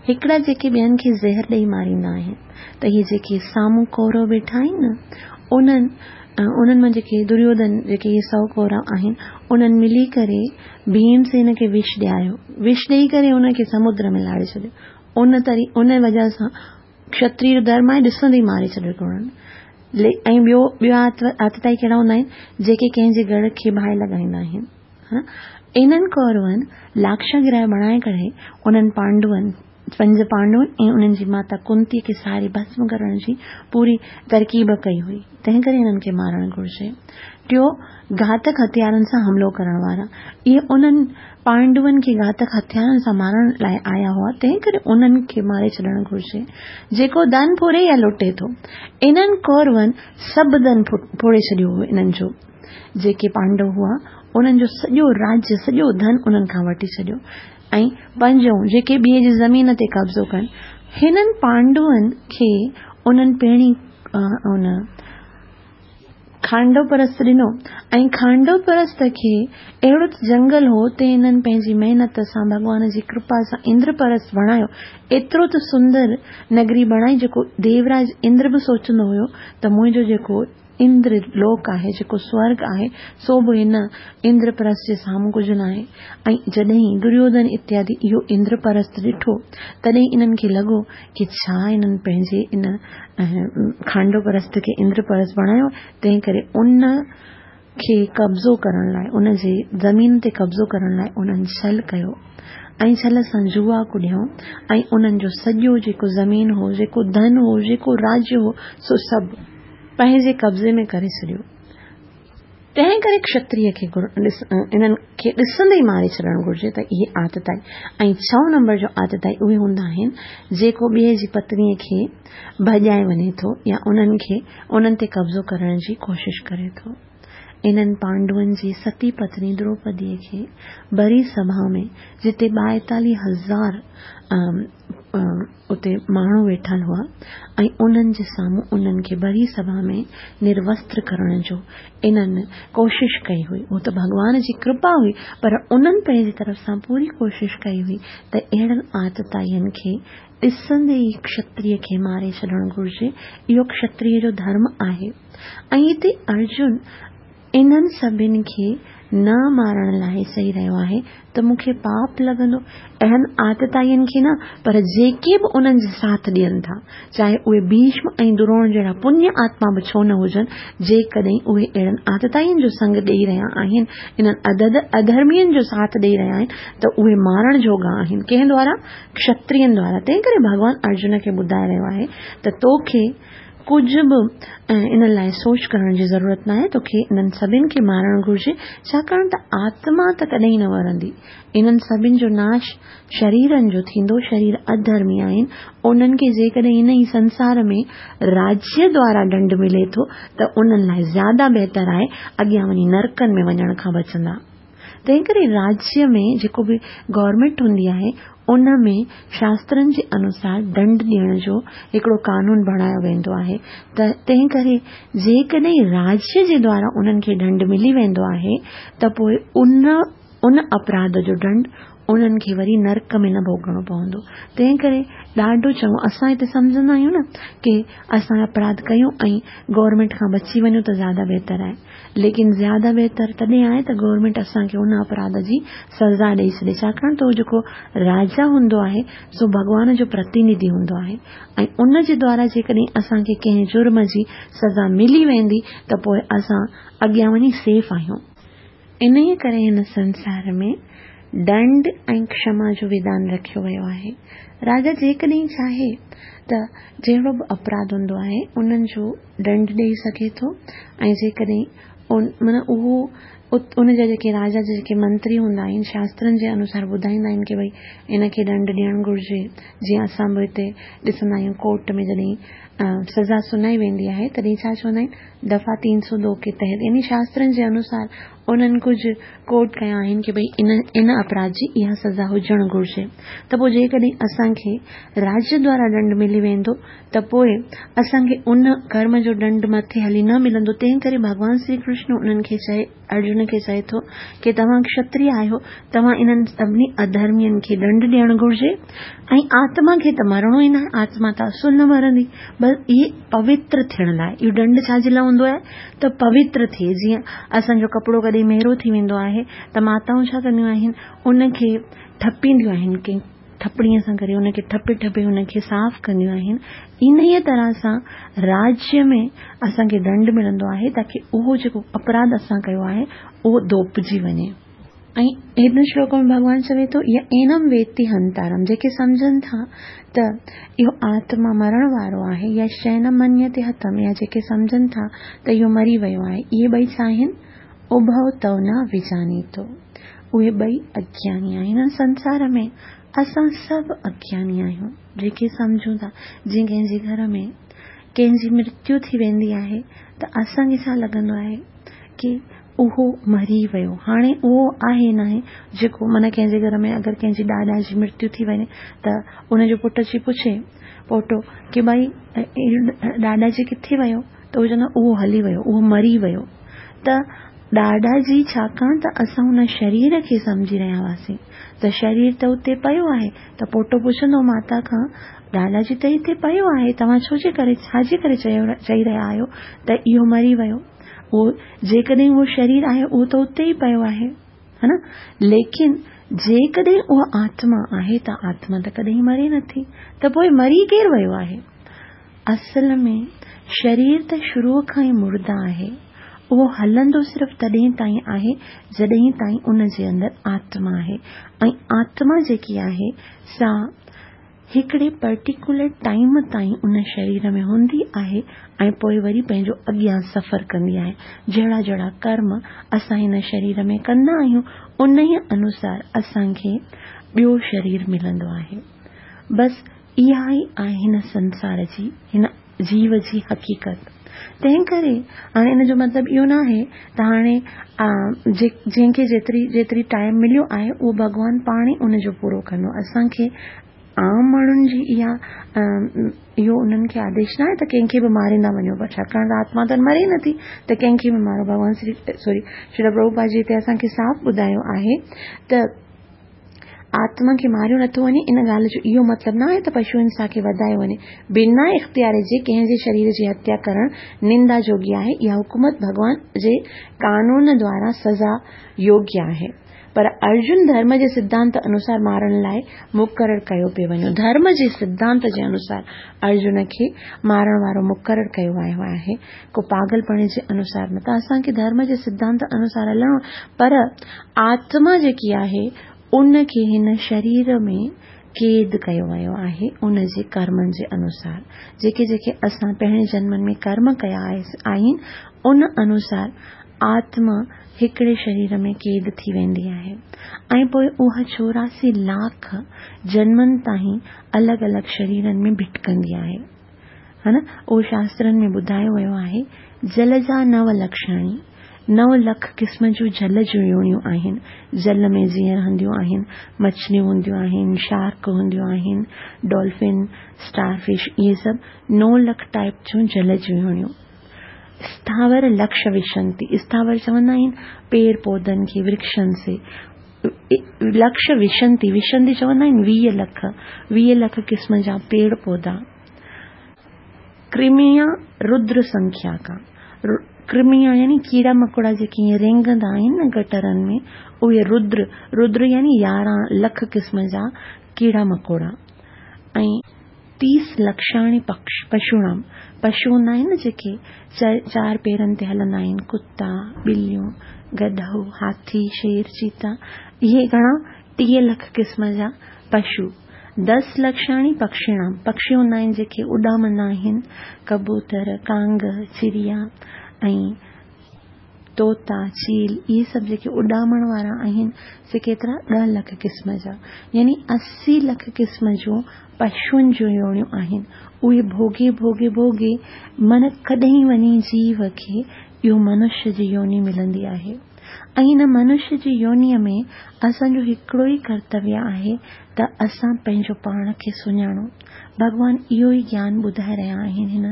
هڪڙا جيڪي ٻين کي زهر ڏيئي ماريندا آهن، ته اهي جيڪي سامهون ڪورو ويٺا آهن نه، انهن انهن مان جيڪي دريوڌن جيڪي اهي سؤ ڪورا آهن، انهن ملي ڪري ڀيمسين کي وش ڏياريو. وش ڏيئي ڪري ان کي سمدر ۾ لاڙي ڇڏيو. ان طري ان وجهه سان ڪشتريه جو ڌرم آهي ڏسندي ئي ماري ڇڏيو هڪڙو. ۽ ٻيو ٻيا آتتائي ڪهڙا هوندا آهن؟ جيڪي ڪنهن جي گهر کي باهه لڳائيندا آهن. انهن ڪورون لاڪشاگرهه بڻائي ڪري انهن پانڊون، پنج پانڊون ۽ انهن جي ماتا ڪنتي کي ساري ڀسم ڪرڻ جي پوري ترڪيب ڪئي هئي، تنهن ڪري انهن کي مارڻ گهرجي. ٽيو، گهاتڪ هٿيارن سان حملو ڪرڻ وارا. اهي انهن پانڊون کي گهاتڪ هٿيارن سان مارڻ لاءِ آيا هئا، تنهن ڪري انهن کي ماري ڇڏڻ گهرجي. جيڪو ڌن ڦري يا لٽي ٿو، انهن ڪورون سڀ ڌن ڦوڙي ڇڏيو هو. انهن جو جيڪي پانڊو هئا انهن جو سڄو راجيه، سڄو ڌن انهن کان وٺي ڇڏيو. ۽ پنجون، جيڪي ٻئي جي زمين تي قبضو ڪن. هنن پانڊون کي انهن پهرين ان کانڊو پرست ڏنو ۽ کانڊو پرست کي اهڙو ته جنگل هو تي هنن پنهنجي محنت سان ڀڳوان جي ڪرپا سان اندرپرست بڻايو. ايترو ته سندر نگري بڻائي جيڪو ديوراج اندر به سوچندو هيو ته منهنجو جيڪو اندر لوڪ آهي، جيڪو سورگ آهي، سو به هن اندرپرست جي سامهون ڪجهه نه آهي. ۽ جڏهن دريوڌن اتيادي اهو اندرپرست ڏٺو، تڏهن انهن کي لڳو ڪه ڇا انهن پنهنجي ان کانڊوپرست کي اندرپرست بڻايو، تنهن ڪري ان کي قبضو ڪرڻ لاءِ، ان جي زمين تي قبضو ڪرڻ لاءِ انهن ڇل ڪيو ۽ ڇل سان جوا ڪڏيائون ۽ انهن جو سڄو جيڪو زمين هو، جيڪو ڌن هو، جيڪو راجيه هو، سو سڀ پنهنجي قبضي ۾ ڪري ڇڏيو. تنهن ڪري ڪشتريه کي انهن کي ڏسندي ئي ماري ڇڏڻ گهرجي ته اهي آتتائي. ۽ ڇهون نمبر جو آتتائي اهي هوندا آهن جيڪو ٻئي جي پتنيءَ کي ڀڄائي وڃي ٿو يا انهن کي انهن تي قبضو ڪرڻ جي ڪوشش ڪري ٿو. انهن پانڊون جي ستي پتني دروپديءَ کي ڀري سڀا ۾ جتي ٻائيتاليهه هزار اتي ماڻهو ويٺل هئا ۽ انهن جي سامهون انهن کي ڀري سڀا ۾ نروستر ڪرڻ جو انهن ڪوشش ڪئي هئي. اهو ته ڀڳوان جي ڪرپا هئي، پر انهن پنهنجي طرف سان پوري ڪوشش ڪئي هئي ته اهڙن آتتائين کي ڏسندي ئي ڪشتريه کي ماري ڇڏڻ گهرجي. اهو ڪشتريه جو ڌرم آهي. ۽ هتي ارجن انهن سڀني کي نه مارڻ لاءِ چئي رهيو آهي ته مون کي پاپ لڳندو. اهڙن آتتائين کي نه، پر جيڪي به انهن جي ساٿ ڏين ٿا، چاهي اهي ڀيشم ۽ دروڻ جهڙا پڃ آتما به ڇو نه هجن، جيڪڏهن اهي اهڙن آتتائين جو سنگ ڏيئي رهيا آهن، انهن اڌ اڌرمين جو ساٿ ڏيئي رهيا آهن، ته اهي مارڻ جوڳا آهن. ڪنهن دوارا؟ ڪشترين دوارا. تنهن ڪري ڀڳوان ارجن کي ٻڌائي رهيو آهي ته توکي ڪجهه به ان لاءِ سوچ ڪرڻ جي ضرورت ناهي، توکي انهن سڀني کي مارڻ گهرجي، ڇاڪاڻ ته آتما ته ڪڏهن نه مرندي. انهن سڀني جو ناش شريرن جو ٿيندو. شرير اڌرمي آهن، انهن کي جيڪڏهن ان ئي سنسار ۾ راجيه دوارا ڏنڊ ملي ٿو ته انهن لاءِ زياده بهتر آهي، اڳيان وڃي نرڪن ۾ وڃڻ کان بچندا. تنهن ڪري راجيه ۾ جيڪو به گورنمينٽ هوندي آهي ان ۾ شاسترن جي انوسار ڏنڊ ڏيڻ جو هڪڙو قانون بڻايو ويندو آهي. ته تنهن ڪري جيڪڏهن راجيه جي دوارا انهن کي ڏنڊ ملي ويندو آهي ته پوءِ ان ان اپراڌ جو ڏنڊ انهن کي وري نرڪ ۾ نه ڀوڳڻو پوندو. تنهن ڪري ڏاڍو چڱو اسان هتي سمجهندا آهيون نه ڪه اسان اپراڌ ڪيون ۽ گورنمينٽ کان بچي وڃون ته زياده بهتر آهي، ليڪن زياده بهتر تڏهن آهي ته گورنمينٽ اسان کي ان اپراڌ جي سزا ڏيئي ڇڏي، ڇاڪاڻ ته اهو جيڪو راجا هوندو آهي سو ڀڳوان جو پرتنڌي هوندو آهي ۽ ان جي دوارا جيڪڏهن اسان کي ڪنهن جرم جي سزا ملي ويندي ته پوءِ اسان اڳيان وڃي سيف آهيون. انهيءَ ڪري هن سنسار ۾ ڏنڊ ۽ ڪشما جو وڌان رکيو ويو آهي. راجا جيڪڏهن چاهي ته جهڙو به اپراڌ هوندو آهي انهن جو ڏنڊ ڏيئي سگهي ٿو، ۽ جيڪڏهن معنيٰ اهو ان جا جيڪي راجا جا جيڪي منتري هوندا آهن شاسترن جي انوسار ٻڌائيندا آهن ڪه ڀئي ان کي ڏنڊ ڏيڻ گهرجي. جيئن اسان به هتي ڏسندا آهيون ڪورٽ ۾ جڏهن سزا سنائي ويندي آهي تڏهن ڇا چوندا آهن، دفعا تين سؤ دو ڪي تحت، يعني شاسترن جي انوسار انهن ڪجهه ڪوٽ ڪيا آهن ڪه ڀئي ان ان اپراڌ جي اها سزا هجڻ گهرجي. ته پوءِ جيڪڏهن اسان کي راجيه دوارا ڏنڊ ملي ويندو ته پوءِ اسان کي ان ڪرم جو ڏنڊ مٿي هلي نه ملندو. تنهن ڪري ڀڳوان شري ڪرشن انهن کي چئي، ارجن کي چئي ٿو ڪه توهان ڪشتريه آهيو، توهان انهن سڀني اڌرمين کي ڏنڊ ڏيڻ گهرجي ۽ آتما کي ته مرڻو ئي نه آهي، آتما ته اصل نه مرندي، بس اهي پوتر ٿيڻ لاءِ. اهو ڏنڊ ڇا جي لاءِ هوندو آهي ته پوتر ٿئي. جيئن اسان جو ڪپڙو ڪڏهن ميرو ٿي ويندو آهي ته ماتائون ڇا ڪنديون آهن، ان کي ٺپينديون آهن، ڪنهن ٺپڻيءَ سان ڪري ان کي ٺپي ٺپي ان کي صاف ڪنديون آهن. انهيءَ طرح سان راجيه ۾ اسان کي ڏنڊ ملندو آهي تاڪه اهو جيڪو اپراڌ اسان ڪيو آهي اهو ڌوپجي وڃي. ۽ هن شلوڪ ۾ ڀڳوان چوي ٿو يه اينم ويتي هنتارم، جيڪي سمجهن ٿا ته اهو آتما مرڻ وارو آهي، يا شينم منيتي هتم، يا جيڪي سمجهن ٿا ته اهو مري ويو آهي، اهي ٻئي ڇا آهن؟ اڀو تو نه وجانيتو، اهي ٻئي اگياني آهن. هن سنسار ۾ اسان سڀ اگياني آهيون، جيڪي سمجهون ٿا. جيئن ڪنهن جي گهر ۾ ڪنهن جي مرتيو ٿي ويندي آهي ته اسان کي ڇا لڳندو آهي ڪه اهو مري ويو، هاڻي اهو آهي نه آهي جيڪو معنيٰ ڪنهن جي گهر ۾ اگر ڪنهن جي ڏاڏا جي مرتيو ٿي وڃي ته ان جو پٽ اچي پڇي پوٽو ڪه ڀائي ڏاڏا جي ڪٿي ويو، ته اهو چوندو اهو هلي ويو، اهو مري ويو. ته ڏاڏا جي ڇاڪاڻ ته اسان هن شرير کي سمجهي رهيا هئاسين ته شرير ته اتي پيو آهي، ته پوٽو پڇندو ماتا کان ڏاڏا جي ته هتي پيو آهي، توهان ڇو جي ڪري ڇا جي ڪري چئي رهيا آهيو ته اهو مري ويو؟ اهو جيڪڏهن اهو شرير آهي اهو ته اتي ئي پيو آهي، ها نه؟ ليڪن جيڪڏهن اها آتما آهي ته آتما ته ڪڏهن مري نٿي، ته پوءِ مري ڪير ويو آهي؟ اصل ۾ شرير ته شروع کان ئي مرده آهي، اهو هلندو صرف تڏهن تائين آهي جڏهن تائين ان جي اندر آتما آهي، ۽ آتما جيڪي آهي سا هڪڙي پرٽيڪيولر ٽائيم تائين ان شرير ۾ هوندي آهي ۽ پوءِ وري پنهنجو اڳيان سفر ڪندي آهي. جهڙا جهڙا ڪرم اسان هن شرير ۾ ڪندا آهيون ان ئي انوسار اسان کي ٻيو شرير ملندو آهي. بس اها ئي آهي هن سنسار جي، هن جيو جي حقيقت. تنهن ڪري هاڻي ان جو مطلب اهو نه آهي ته هاڻي جنهن کي جيتري جيتري ٽائيم مليو آهي اهو ڀڳوان پاڻ ئي ان جو پورو ڪندو. اسان کي عام ماڻهن جي اها اهو انهن کي آديش نه آهي ته ڪنهن کي به ماريندا وڃو، پر ڇاڪاڻ ته آتما ته مري نٿي ته ڪنهن کي به مارو. ڀڳوان شري سوري شري پرڀوپاد جي هتي اسان کي صاف ٻڌايو آهي ته آتما کي ماريو نٿو وڃي، ان ڳالهه جو اهو مطلب نه آهي ته پشو هنسا کي وڌايو وڃي. بنا اختيار جي ڪنهن جي شرير جي هتيا ڪرڻ نندا جوڳي آهي. اها حڪومت ڀڳوان جي قانون دوارا سزا يوگيه آهي. پر ارجن ڌرم جي سڌانت انوسار مارڻ لاء مقرر ڪيو پيو وڃو. ڌرم جي سڌانت جي انوسار ارجن کي مارڻ وارو مقرر ڪيو ويو آهي، ڪو پاڳلپڻي جي انوسار نه. ته اسان کي ڌرم جي سڌانت انوسار هلڻو، پر آتما جيڪي آهي ان کي هن شرير ۾ قيد ڪيو ويو آهي ان جي ڪرمن جي انوسار. جيڪي جيڪي اسان پهرين جنمن ۾ ڪرم ڪيا آهن ان انوسار آتما هڪڙي شرير ۾ قيد ٿي ويندي آهي ۽ پوءِ اها چوراسي لاک جنمن تائين الڳ الڳ شريرن ۾ ڀٽڪندي آهي. ها نه، اهو شاسترن ۾ ٻڌايو ويو آهي. جل جا نو لکشاڻي، نو لک قسم جون جل جون يونيون آهن. جل ۾ جيئن رهنديون آهن، مڇليون هونديون آهن، شارڪ هونديون آهن، ڊولفن، اسٽار فش، اهي سڀ نو لک ٽائپ جون جل جون يونيون. اسٿاور لڪش وشنتي، اسٿاور چوندا آهن پيڙ پوڌن کي، ورڪشن سي. لڪش وشنتي، وشنتي چوندا آهن ويهه لک، ويهه لک قسم جا پيڙ پوڌا. ڪرميا ردر سنکيا کا، ڪرميا يعني ڪيڙا مڪوڙا جيڪي ائين رينگندا آهن نه گٽرن ۾ اهي ردر، ردر يعني يارهن لک قسم جا ڪيڙا مڪوڙا. ۽ تيس لکشاڻي پشوڻام، پشو هوندا آهن نه جيڪي چار پيرن تي هلندا آهن، ڪتا، ٻليون، گڏهو، هاٿي، شير، چيتا، اهي گهڻا ٽيهه لک قسم جا پشو. دس لکشاڻي پکشيڻام، پکشي هوندا آهن جيڪي اڏامندا آهن، ڪبوتر، ڪانگ، چڙيا ۽ طوطا، چيل، اهي سڀ جيڪي اڏامڻ وارا آهن سي ڪيترا ڏهه لک قسم جا، يعني اسي لک قسم جون پشوئن جون يونيون آهن. اهي ڀوڳي ڀوڳي ڀوڳي من ڪڏهن وڃي جيو کي اهو منشيه جي يوني ملندي آهي. ۽ هن منشيه جي يونيءَ ۾ اسان جو هڪڙو ئي ڪرتويه آهي ته اسان پنهنجو پاڻ کي سڃاڻون. ڀڳوان اهو ئي گيان ٻڌائي رهيا آهن هن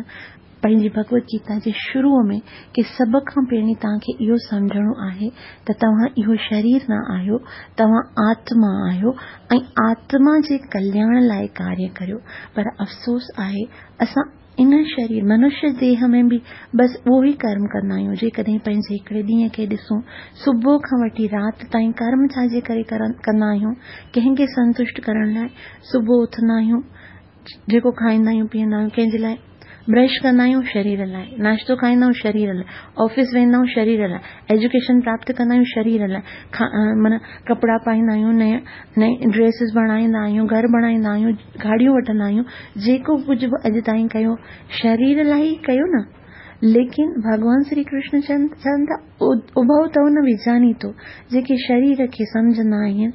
پنهنجي ڀڳوت گيتا جي شروع ۾ ڪه سڀ کان پهرين توهان کي اهو سمجهڻو آهي ته توهان اهو شرير نه آهيو، توهان آتما آهيو ۽ آتما جي ڪلياڻ لاءِ ڪاريه ڪريو. پر افسوس آهي اسان ان شرير منشيه ديهه ۾ به بس اهو ئي ڪرم ڪندا آهيون. جيڪڏهن پنهنجي هڪڙي ڏينهن کي ڏسون، صبح کان وٺي رات تائين ڪرم ڇا جي ڪري ڪندا آهيون؟ ڪنهن کي سنتشٽ ڪرڻ لاءِ. صبح اٿندا آهيون، جيڪو کائيندا آهيون پيئندا آهيون ڪنهن جي لاءِ؟ برش ڪندا آهيون شرير لاءِ، ناشتو کائيندا آهيون شرير لاءِ، آفيس ويندا آهيون شرير لاءِ، ايجوڪيشن پراپت ڪندا آهيون شرير لاءِ، معنيٰ ڪپڙا پائيندا آهيون، نئين نئين ڊريسز بڻائيندا آهيون، گهر بڻائيندا آهيون، گاڏيون وٺندا آهيون، جيڪو ڪجهه به اڄ تائين ڪيو شرير لاءِ ئي ڪيو نه. ليڪن ڀڳوان شري ڪرشن چون چون ٿا اڀو تو نه ويجاني ٿو، جيڪي شرير کي سمجهندا آهن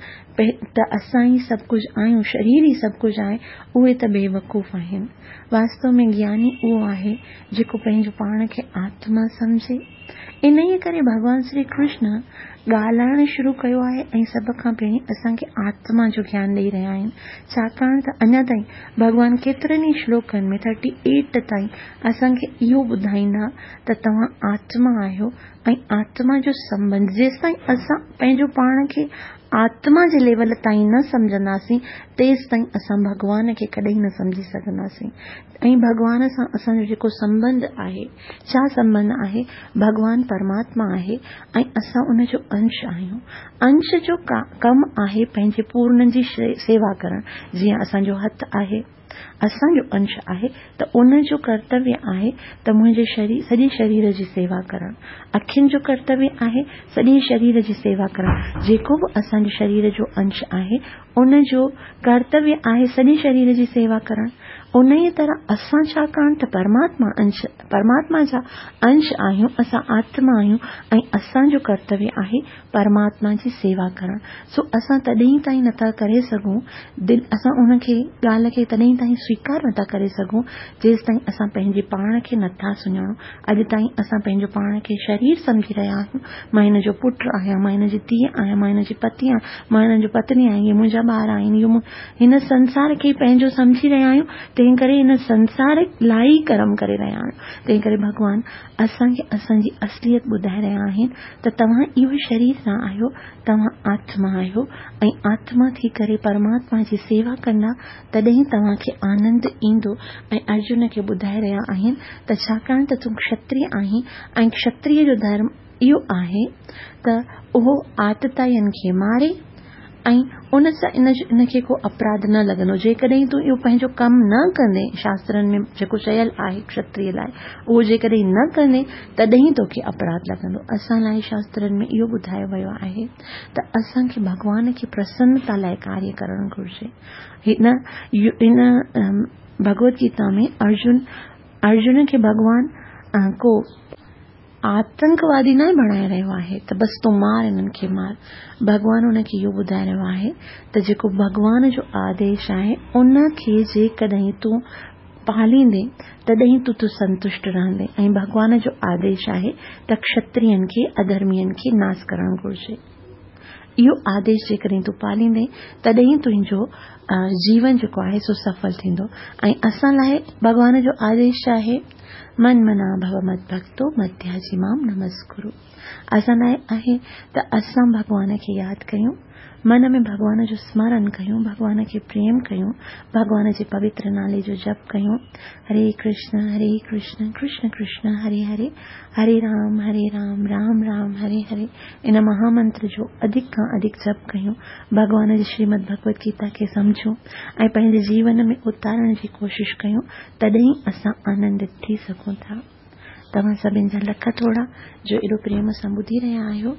ته اسان ئي سڀ ڪجهه آهيون، شرير ئي سڀ ڪجهه آهي، اهي ته بيوقوف آهن. واستو ۾ گياني اهو آهي جيڪو پنهنجو پاڻ کي آتما سمجهي. ان ئي ڪري ڀڳوان شري ڪرشن ڳالهائڻ شروع ڪيو آهي ۽ سڀ کان پهرين اسان کي آتما جو گيان ڏيئي رهيا آهن. ڇاڪاڻ ته اڃا تائين ڀڳوان ڪيترن ئي شلوڪن ۾ ٿرٽي ايٽ تائين اسان کي اهو ٻڌائيندا ته توهان آتما آهيو ۽ آتما جو سنٻنڌ جيستائين اسان پنهنجو پاڻ کي آتما جي ليول تائين نه سمجهنداسين تيستائين اسان ڀڳوان کي ڪڏهن نه سمجهي سگهنداسين. ۽ ڀڳوان سان اسان جو جيڪو سنٻنڌ آهي، ڇا سنٻنڌ آهي؟ ڀڳوان پرماتما آهي ۽ اسان ان جو انش آهيون. انش جو ڪم آهي پنهنجي پورن جي سيوا ڪرڻ. جيئن اسان جو هٿ آهي، اسان جو انش آهي ته ان جو ڪرتويه آهي ته منهنجي شرير سڄي شرير جي سيوا ڪرڻ. اکين جو ڪرتويه آهي سڄي شرير جي سيوا ڪرڻ. جيڪو به اسان جي شرير جو انش آهي ان جو ڪرتويه آهي سڄي شرير جي سيوا ڪرڻ. ان ئي طرح اسان ڇاڪاڻ ته پرماتما انش پرماتما جا انش آهيون، اسان آتما آهيون ۽ اسان جو ڪرتويه آهي پرماتما جي سيوا ڪرڻ. سو اسان تڏهن تائين نٿا ڪري سگهون، دل اسان ان کي ڳالهه کي تڏهن تائين سويڪار نٿا ڪري سگهون جيستائين اسان پنهنجي پاڻ کي نٿا سڃاڻون. اڄ تائين اسان پنهنجو پاڻ کي شرير سمجهي رهيا آهيون. مان هن جو پٽ آهيان، مان هن جي ڌيءَ آهيان، مان هن جي پتي آهيان، مان هن جو پتني آهيان، اهي منهنجا ٻار آهن، اهو هن سنسار کي پنهنجو سمجهي رهيا آهيون. تنهن ڪري هن سنسار لاءِ ئي ڪرم ڪري رهيا آهيو. تنهن ڪري ڀڳوان اسان کي اسان جي اصليت ٻڌائي رهيا آهن ته توهان اهو شرير نه آهيو، توهان آتما آهيو ۽ آتما ٿي ڪري پرماتما جي سيوا ڪندا تڏهن توهان کي آنند ايندو. ۽ ارجن کي ٻڌائي رهيا آهن ته ڇاڪاڻ ته تون ڪشتريه آهين ۽ ڪشتريه جو ڌرم اهو آهي ته اهو آتتائين کي ماري ۽ ان سان ان کي ڪو اپراڌ نه لڳندو. جيڪڏهن تون اهو پنهنجو ڪم نه ڪندين، شاسترن ۾ جيڪو چيل آهي ڪشتريه لاءِ، اهو جيڪڏهن نه ڪندين تڏهن توکي اپراڌ لڳندو. اسان لاءِ شاسترن ۾ اهو ٻڌايو ويو آهي ته اسان کي ڀڳوان کي پرسنتا لاءِ ڪاريه ڪرڻ گهرجي. هن هن ڀڳوت گيتا ۾ ارجن ارجن کي ڀڳوان ڪو آتنڪوادي نه بڻائي رهيو آهي ته بس تون مار انهن کي مار. ڀڳوان ان کي اهو ٻڌائي رهيو آهي ته جيڪو ڀڳوان جو آديش آهي ان کي جيڪڏهن تون پاليندين تڏهن تون تون سنتشٽ رهندين. ۽ ڀڳوان جو آديش آهي ته ڪشترين کي، اڌرمين کي ناس ڪرڻ گهرجي. اهو آديش جيڪڏهن تون پاليندين تڏهن تنهنجو جيون جيڪو آهي سو سڦل ٿيندو. ۽ اسان لاءِ ڀڳوان جو آديش آهي من منا ڀو مت ڀڪتو متياجي مام نمسڪرو. اسان لاءِ آهي ته اسان ڀڳوان کي ياد ڪيون، من ۾ ڀڳوان جو سمرڻ ڪيون، ڀڳوان کي پريم ڪيون، ڀڳوان جي پوتر نالي جو جپ ڪيون. هري ڪرشن هري ڪرشن ڪرشن ڪرشن هري هري، هري رام هري رام رام رام هري هري. ان مهامنتر جو اڌڪ کان اڌڪ جپ ڪيون، ڀڳوان جي شريمد ڀڳوت گيتا کي سمجهون ۽ پنهنجي جيون ۾ اتارڻ جي ڪوشش ڪيون، تڏهن اسان آنندت ٿي سگهون ٿا. توهان سڀني جا لک ٿورا جو ايڏو پريم سان ٻڌي رهيا آهيو.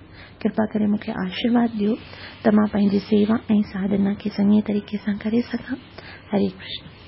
ڪرپا ڪري مون کي آشيرواد ڏيو ته مان پنهنجي سيوا ۽ ساڌنا کي چڱي طريقي سان ڪري سگهان. هري ڪرشن.